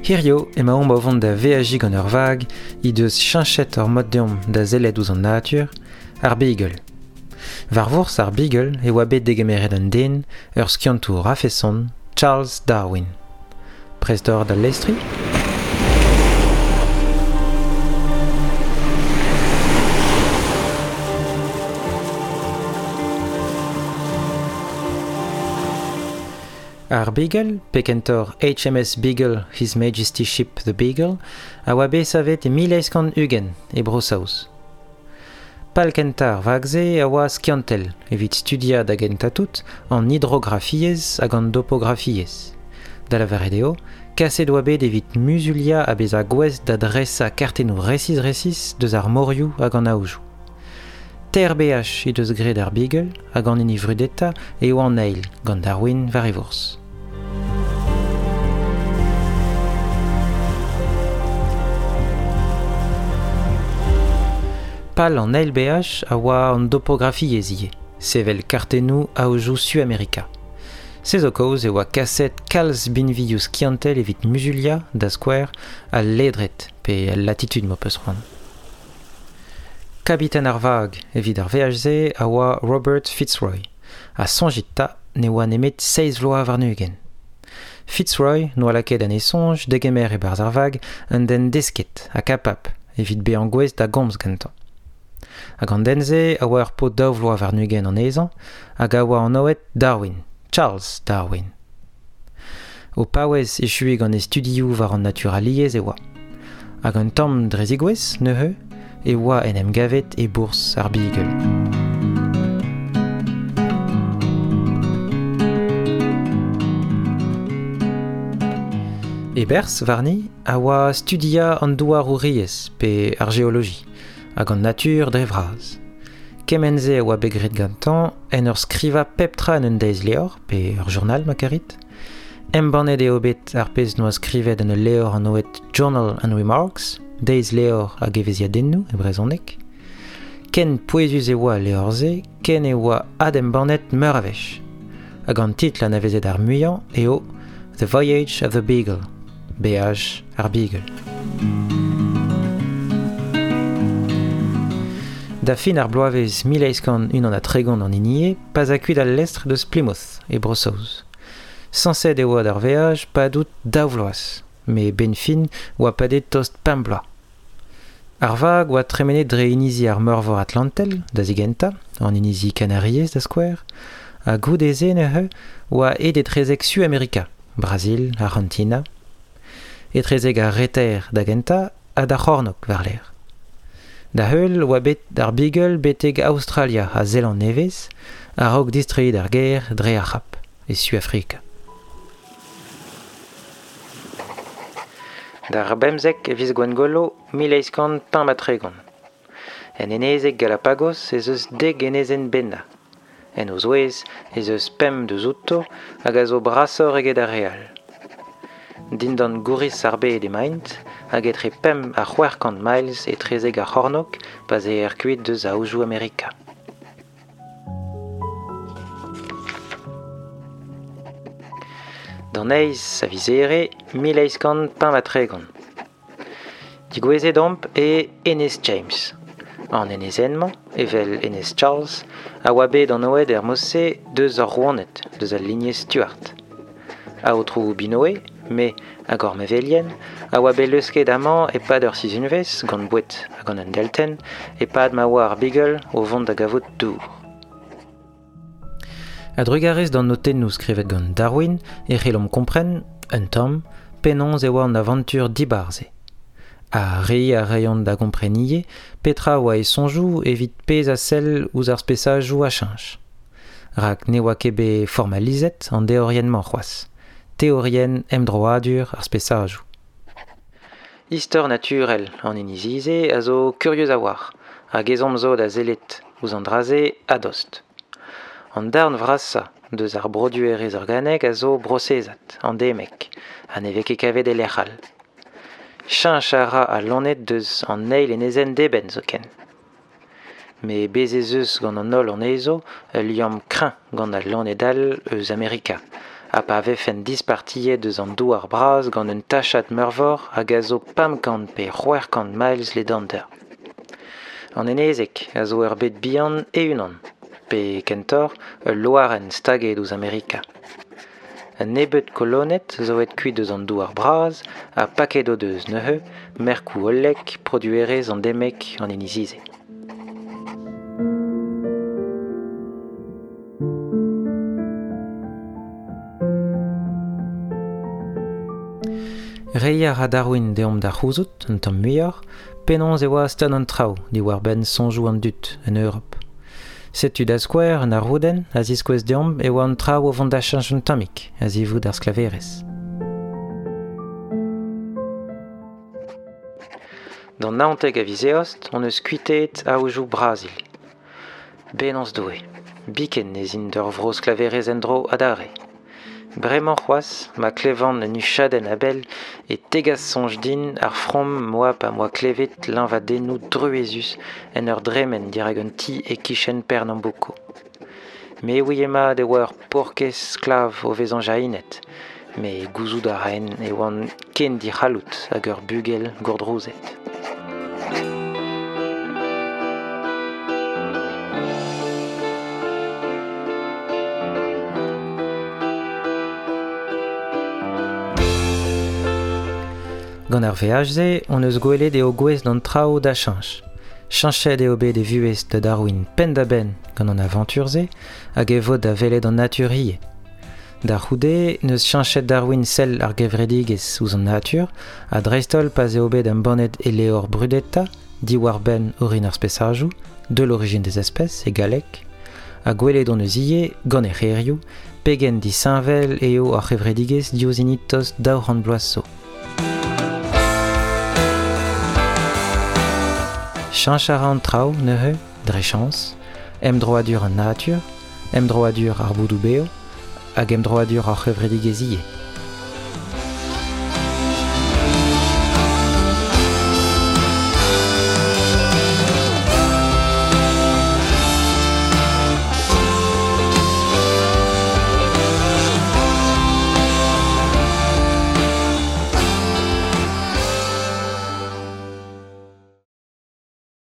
Hirio emaomp o vont da veajiñ gant ur vag he deus cheñchet hor mod deomp da sellet ouzh an natur, ar Beagle. War vourzh ar Beagle e oa bet degemeret un den, ur skiantour a-feson, Charles Darwin. Prest oc'h da lestriñ? Ar Beagle, pe kentoc'h HMS Beagle His Majesty's Ship the Beagle, a oa bet savet e 1820 e Bro-Saoz. Pal kentañ ar vag-se a oa skiantel evit studiañ da gentañ-tout an hidrografiezh hag an dopografiezh. Da lavaret eo, kaset oa bet evit muzuliañ ha bezañ gouest da dresañ kartennoù resis-resis deus ar morioù hag an aojoù. Teir beaj he deus graet ar Beagle hag an hini vrudetañ eo an eil gant Darwin war e vourzh. Pal an eil beaj a oa an dopografiezh ivez, sevel kartennoù aojoù Suamerika. Se zo kaoz e oa kaset kalz binvioù skiantel evit muzuliañ, da skouer, al ledred pe al latitud m'ho peus c'hoant. Kabiten ar vag evit ar veaj-se a oa Robert Fitzroy, ha soñjit 'ta ne oa nemet seizh vloaz warn-ugent. Fitzroy n'oa lakaet en e soñj degemer e-barzh ar vag un den desket ha kapabl evit bezañ gouest da gomz gantañ. Hag an den-se a oa ur paotr daou vloaz warn-ugent anezhañ hag a oa anvet Darwin, Charles Darwin. O paouez echuiñ gant e studioù war an naturaliezh e oa. Hag un tamm dre zigouez, neuze, e oa en em gavet e bourzh ar Beagle. E berzh warni a oa studiañ an douarouriezh pe ar geoloji. hag an natur dre vras. Kement-se a oa bet graet gantañ en ur skrivañ pep tra en un deizlevr, pe ur journal ma karit. Embannet eo bet ar pezh 'noa skrivet en ul levr anvet Journal and Remarks, deizlevr hag evezhiadennoù e brezhoneg. Ken pouezus e oa al levr-se ken e oa adembannet meur a wech. Hag an titl anavezet ar muiañ eo The Voyage of the Beagle, Beaj ar Beagle. Da fin ar bloavezh 1831 an hini eo pa'z a kuit al lestr deus Plymouth, e Bro-Saoz. Sañset e oa d'ar veaj padout daou vloaz, met 'benn fin oa padet tost pemp bloaz. Ar vag oa tremenet dre inizi ar Meurvor Atlantel, da zigentañ, an inizi Kanariez da skouer, ha goude-se neuze oa aet etrezek Suamerika, Brazil, Arc'hantina, etrezek ar reter da gentañ ha d'ar c'hornôg war-lerc'h. Da-heul oa bet ar Beagle betek Aostralia ha Zeland-Nevez a-raok distreiñ d'ar gêr dre ar C'hab, e Suafrika. D'ar bemzek e viz Gwengolo 1835. En enezeg Galapagos ez eus dek enezenn bennañ. En o zouez ez eus pemp deus outo hag a zo brasoc'h eget ar re all. Dindan gouriz ar bed emaint hag etre pemp ha 600 miles etrezek ar c'hornôg pa'z eer kuit deus aojoù Amerika. D'an eizh a viz Here 1835. Degouezhet omp e Enez James. An enezenn-mañ, evel Enez Charles, a oa bet anvet er mod-se deus ar rouaned, deus al lignez Stuart. Aotrou Binoe, me hag hor mevelien, a oa bet leusket amañ e-pad ur sizhunvezh gant boued ha gant un deltenn e-pad ma oa ar Beagle o vont da gavout dour. A-drugarez d'an notennoù skrivet gant Darwin e c'hellomp kompren, un tamm, penaos e oa an avantur dibar-se. Ha reiñ a reont da gompren ivez petra a oa e soñjoù evit pezh a sell ouzh ar spesajoù a cheñch. Rak ne oa ket bet formalizet an deorienn-mañ c'hoazh, teorienn emdroadur ar spesajoù. Istor naturel an inizi-se a zo kurius a-walc'h hag ezhomm zo da sellet ouzh an dra-se a-dost. An darn vrasañ deus ar broduerezh organek a zo brosezat, andemek, ha ne vez ket kavet e lec'h all. Cheñch a ra al loened deus an eil enezenn d'eben zoken. Met bez' ez eus gant an holl anezho ul liamm kreñv gant al loened all eus Amerika, Ha pa vefen dispartiet eus an douar bras gant un tachad meurvor hag a zo 500 pe 600 miles ledander. An enezeg a zo ur bed bihan e-unan, pe kentoc'h ul loarenn staget ouzh Amerika. Un nebeud koloned zo aet kuit eus an douar bras ha paket o deus neuze merkoù hollek produerezh endemek an inizi-se. Reiñ a ra Darwin deomp da c'houzout, un tamm muioc'h, penaos e oa stad an traoù diwar-benn soñjoù an dud en Europ. Setu da skouer un arroudenn a ziskouez deomp e oa an traoù o vont da cheñch un tammig a-zivout ar sklaverezh. D'an 19 a viz Eost hon eus kuitaet aojoù Brazil. Bennozh Doue, biken ez int d'ur vro sklaverezh en-dro adarre. Bremañ c'hoazh, ma klevan un huchadenn a-bell e tegas soñj din ar from 'moa pa 'moa klevet liñvadennoù druezus en ur dremen dirak un ti e-kichen Pernambuco. Me 'ouie mat e oa ur paourkaezh sklav o vezañ jahinet, met gouzout a raen e oan ken dic'halloud hag ur bugel gourdrouzet. Gant ar veaj-se hon eus gwelet eo gouest d'an traoù da cheñch. Cheñchet eo bet e vuhez da Darwin penn-da-benn gant an avantur-se hag e vod da welet an natur ivez. Da c'houde n'eus cheñchet Darwin sell ar gevredigezh ouzh an natur ha dreist-holl pa'z eo bet embannet e levr brudetañ diwar-benn orin ar spesajoù, De l'origine des espèces e galleg, ha gwelet hon eus ivez, gant e c'herioù, pegen disheñvel eo ar c'hevredigezh diouzh hini tost 200 bloaz zo. Cheñch a ra an traoù neuze, dre chañs, emdroadur an natur, emdroadur ar boudoù bev hag emdroadur ar c'hevredigezh ivez.